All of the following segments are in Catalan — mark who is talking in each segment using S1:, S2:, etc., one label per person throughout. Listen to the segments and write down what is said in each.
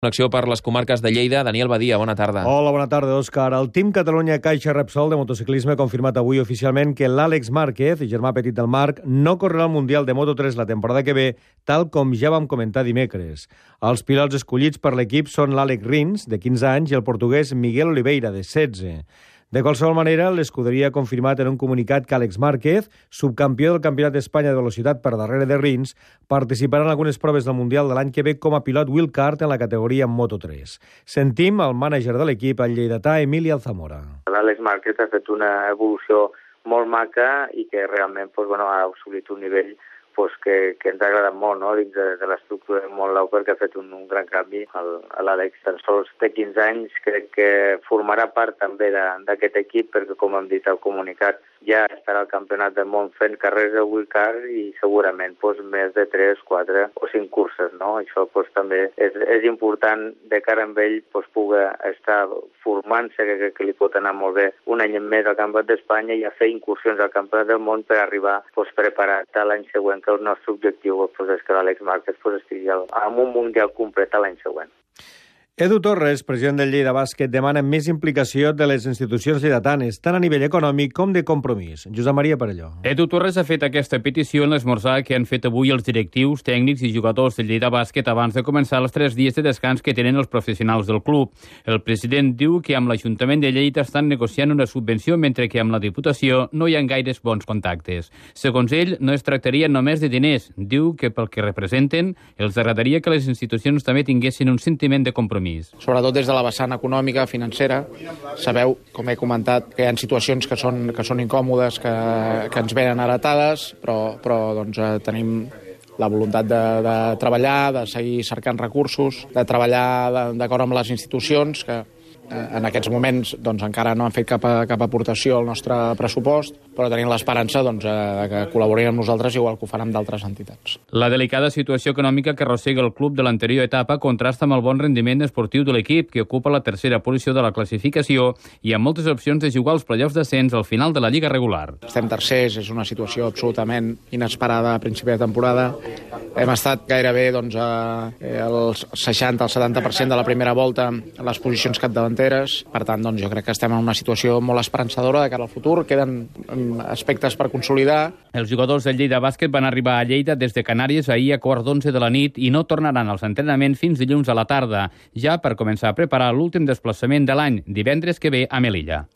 S1: Connexió per les comarques de Lleida. Daniel Badia, bona tarda.
S2: Hola, bona tarda, Òscar. El Team Catalunya Caixa Repsol de motociclisme ha confirmat avui oficialment que l'Àlex Márquez, germà petit del Marc, no correrà al Mundial de Moto3 la temporada que ve, tal com ja vam comentar dimecres. Els pilots escollits per l'equip són l'Àlex Rins, de 15 anys, i el portuguès Miguel Oliveira, de 16. De qualsevol manera, l'escuderia ha confirmat en un comunicat que Àlex Márquez, subcampió del Campionat d'Espanya de velocitat per darrere de Rins, participarà en algunes proves del Mundial de l'any que ve com a pilot wildcard en la categoria Moto3. Sentim el mànager de l'equip, el lleidatà Emili Alzamora.
S3: L'Àlex Márquez ha fet una evolució molt maca i que realment ha assolit un nivell que ens ha agradat molt, no? Dins de l'estructura del món Lauper, que ha fet un gran canvi. L'Àlex tan sols té 15 anys, crec que formarà part també d'aquest equip, perquè com hem dit al comunicat, ja estarà al Campionat del Món fent carreres de wildcard i segurament més de 3, 4 o 5 curses, no? Això també és important de cara amb ell pugui estar formant-se, que li pot anar molt bé un any més al Campionat d'Espanya i a fer incursions al Campionat del Món per arribar preparat a l'any següent, que el nostre objectiu és que l'Àlex Márquez estigui en un Mundial complet l'any següent.
S2: Edu Torres, president del Lleida Bàsquet, demana més implicació de les institucions lleidatanes, tant a nivell econòmic com de compromís. Josep Maria Parelló.
S4: Edu Torres ha fet aquesta petició en l'esmorzar que han fet avui els directius, tècnics i jugadors del Lleida Bàsquet abans de començar els 3 dies de descans que tenen els professionals del club. El president diu que amb l'Ajuntament de Lleida estan negociant una subvenció, mentre que amb la Diputació no hi ha gaires bons contactes. Segons ell, no es tractaria només de diners. Diu que pel que representen, els agradaria que les institucions també tinguessin un sentiment de compromís.
S5: Sobretot des de la vessant econòmica, financera. Sabeu, com he comentat, que hi ha situacions que són incòmodes, que ens venen heretades, però tenim la voluntat de treballar, de seguir cercant recursos, de treballar d'acord amb les institucions que en aquests moments encara no han fet cap aportació al nostre pressupost, però tenim l'esperança que col·laborin amb nosaltres igual que ho faran d'altres entitats.
S4: La delicada situació econòmica que arrossega el club de l'anterior etapa contrasta amb el bon rendiment esportiu de l'equip, que ocupa la tercera posició de la classificació i amb moltes opcions de jugar als play-offs d'ascens al final de la Lliga regular.
S5: Estem tercers, és una situació absolutament inesperada a principi de temporada. Hem estat gairebé el 60 al 70% de la primera volta a les posicions capdavanteres. Per tant, jo crec que estem en una situació molt esperançadora de cara al futur. Queden aspectes per consolidar.
S4: Els jugadors del Lleida Bàsquet van arribar a Lleida des de Canàries ahir a 11:15 de la nit i no tornaran als entrenaments fins dilluns a la tarda, ja per començar a preparar l'últim desplaçament de l'any, divendres que ve a Melilla.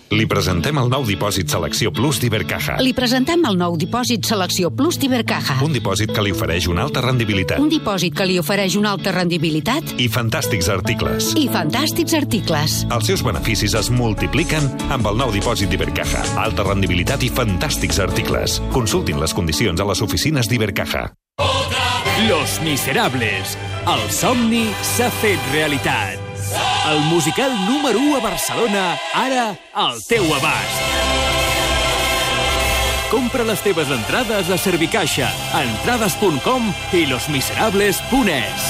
S6: Li presentem el nou dipòsit Selecció Plus d'Ibercaja.
S7: Li presentem el nou dipòsit Selecció Plus d'Ibercaja.
S6: Un dipòsit que li ofereix una alta rendibilitat.
S7: Un dipòsit que li ofereix una alta rendibilitat.
S6: I fantàstics articles.
S7: Els
S6: seus beneficis es multipliquen amb el nou dipòsit d'Ibercaja. Alta rendibilitat i fantàstics articles. Consultin les condicions a les oficines d'Ibercaja.
S8: Los Miserables. El somni s'ha fet realitat. El musical número 1 a Barcelona, ara al teu abast. Compra les teves entrades a Servicaixa, a entrades.com i losmiserables.es.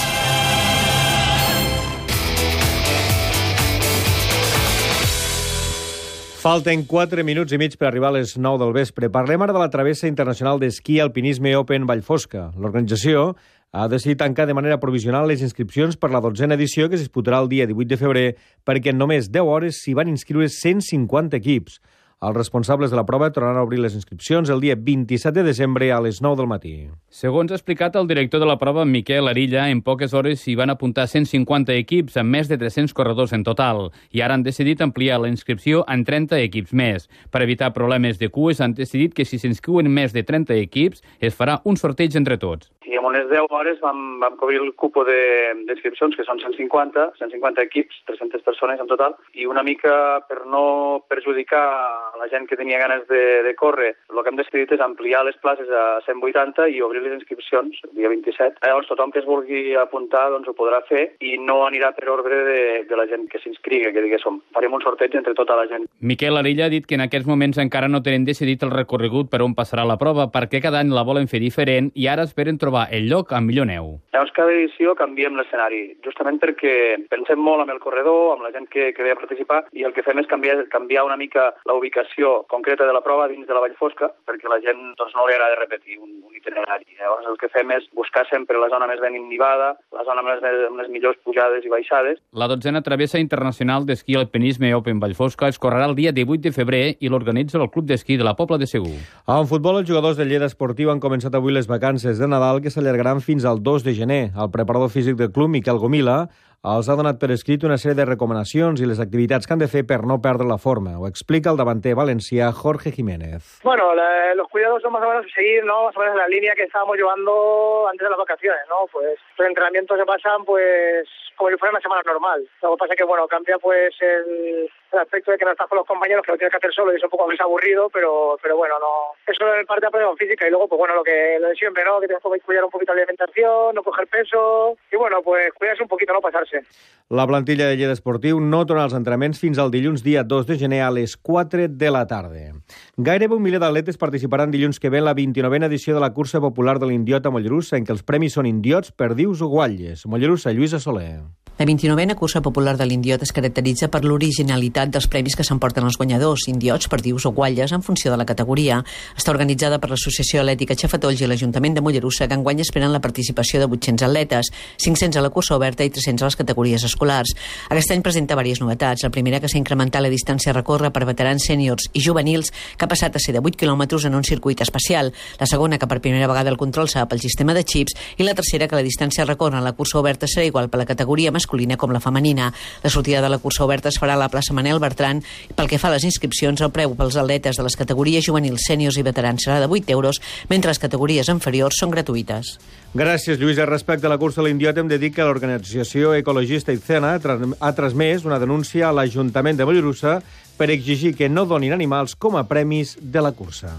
S2: Falten 4 minuts i mig per arribar a les 9 del vespre. Parlem ara de la travessa internacional d'esquí alpinisme Open Vallfosca. L'organització ha decidit tancar de manera provisional les inscripcions per la 12a edició que es disputarà el dia 18 de febrer perquè en només 10 hores s'hi van inscriure 150 equips. Els responsables de la prova tornaran a obrir les inscripcions el dia 27 de desembre a les 9 del matí.
S4: Segons ha explicat el director de la prova, Miquel Arilla, en poques hores s'hi van apuntar 150 equips amb més de 300 corredors en total i ara han decidit ampliar la inscripció en 30 equips més. Per evitar problemes de cues han decidit que si s'inscriuen més de 30 equips es farà un sorteig entre tots.
S9: I en unes 10 hores vam cobrir el cupo d'inscripcions, que són 150 equips, 300 persones en total, i una mica per no perjudicar a la gent que tenia ganes de córrer, el que hem decidit és ampliar les places a 180 i obrir les inscripcions el dia 27. Llavors tothom que es vulgui apuntar ho podrà fer i no anirà per ordre de la gent que s'inscrigui, que diguéssim. Farem un sorteig entre tota la gent.
S4: Miquel Arilla ha dit que en aquests moments encara no tenen decidit el recorregut per on passarà la prova perquè cada any la volen fer diferent i ara esperen trobar el lloc amb millor neu.
S9: Llavors cada edició canviem l'escenari, justament perquè pensem molt amb el corredor, amb la gent que ve a participar, i el que fem és canviar una mica la ubicació ubicació concreta de la prova dins de la Vall Fosca, perquè la gent doncs, no li agrada repetir un itinerari. Llavors el que fem és buscar sempre la zona més ben nivada, la zona amb les millors pujades i baixades.
S4: La 12a travessa internacional d'esquí alpinisme Open Vallfosca es correrà el dia 18 de febrer i l'organitza el Club d'Esquí de la Pobla de Segur.
S2: En futbol, els jugadors del Lleida Esportiu han començat avui les vacances de Nadal que s'allargaran fins al 2 de gener. El preparador físic del club, Miquel Gomila, els ha donat per escrit una sèrie de recomanacions i les activitats que han de fer per no perdre la forma. Ho explica el davanter valencià Jorge Jiménez.
S10: Bueno, los cuidados son más o menos seguir, ¿no? Más o menos la línea que estábamos llevando antes de las vacaciones, ¿no? Pues los entrenamientos se pasan, pues, como si fuera una semana normal. Lo que pasa es que, bueno, cambia, pues, el aspecto de que no estás con los compañeros, que lo tienes que hacer solo y es un poco más aburrido, pero bueno, no. Eso es parte de la preparación física y luego, pues, bueno, lo de siempre, ¿no? Que tienes que cuidar un poquito la alimentación, no coger peso y, bueno, pues, cuidarse un poquito, no pasarse.
S2: La plantilla de Lleida Esportiu no torna als entrenaments fins al dilluns dia 2 de gener a les 4 de la tarda. Gairebé 1 miler d'atletes participaran dilluns que ve en la 29a edició de la cursa popular de l'Indiot a Mollerussa, en què els premis són indiots, perdius o guatlles. Mollerussa, Lluïsa Soler.
S11: La 29a cursa popular de l'Indiot es caracteritza per l'originalitat dels premis que s'emporten els guanyadors, indiots, perdius o guatlles, en funció de la categoria. Està organitzada per l'Associació Atlètica Xafatolls i l'Ajuntament de Mollerussa, que enguany esperen la participació de 800 atletes, 500 a la cursa oberta i 300 a les categories escolars. Aquest any presenta diverses novetats. La primera, que s'ha incrementat la distància a recórrer per veterans sèniors i juvenils, que ha passat a ser de 8 quilòmetres en un circuit especial. La segona, que per primera vegada el control serà pel sistema de xips. I la tercera, que la distància a recórrer a la cursa oberta serà igual per la categoria masculina com la femenina. La sortida de la cursa oberta es farà a la plaça Manel Bertran. Pel que fa a les inscripcions, el preu pels atletes de les categories juvenils, sèniors i veterans serà de 8 euros, mentre les categories inferiors són gratuïtes.
S2: Gràcies, Lluïsa. Respecte a la cursa a l'Indiot, hem de dir que l'organització ecologista Icena ha transmès una denúncia a l'Ajuntament de Mollerussa per exigir que no donin animals com a premis de la cursa.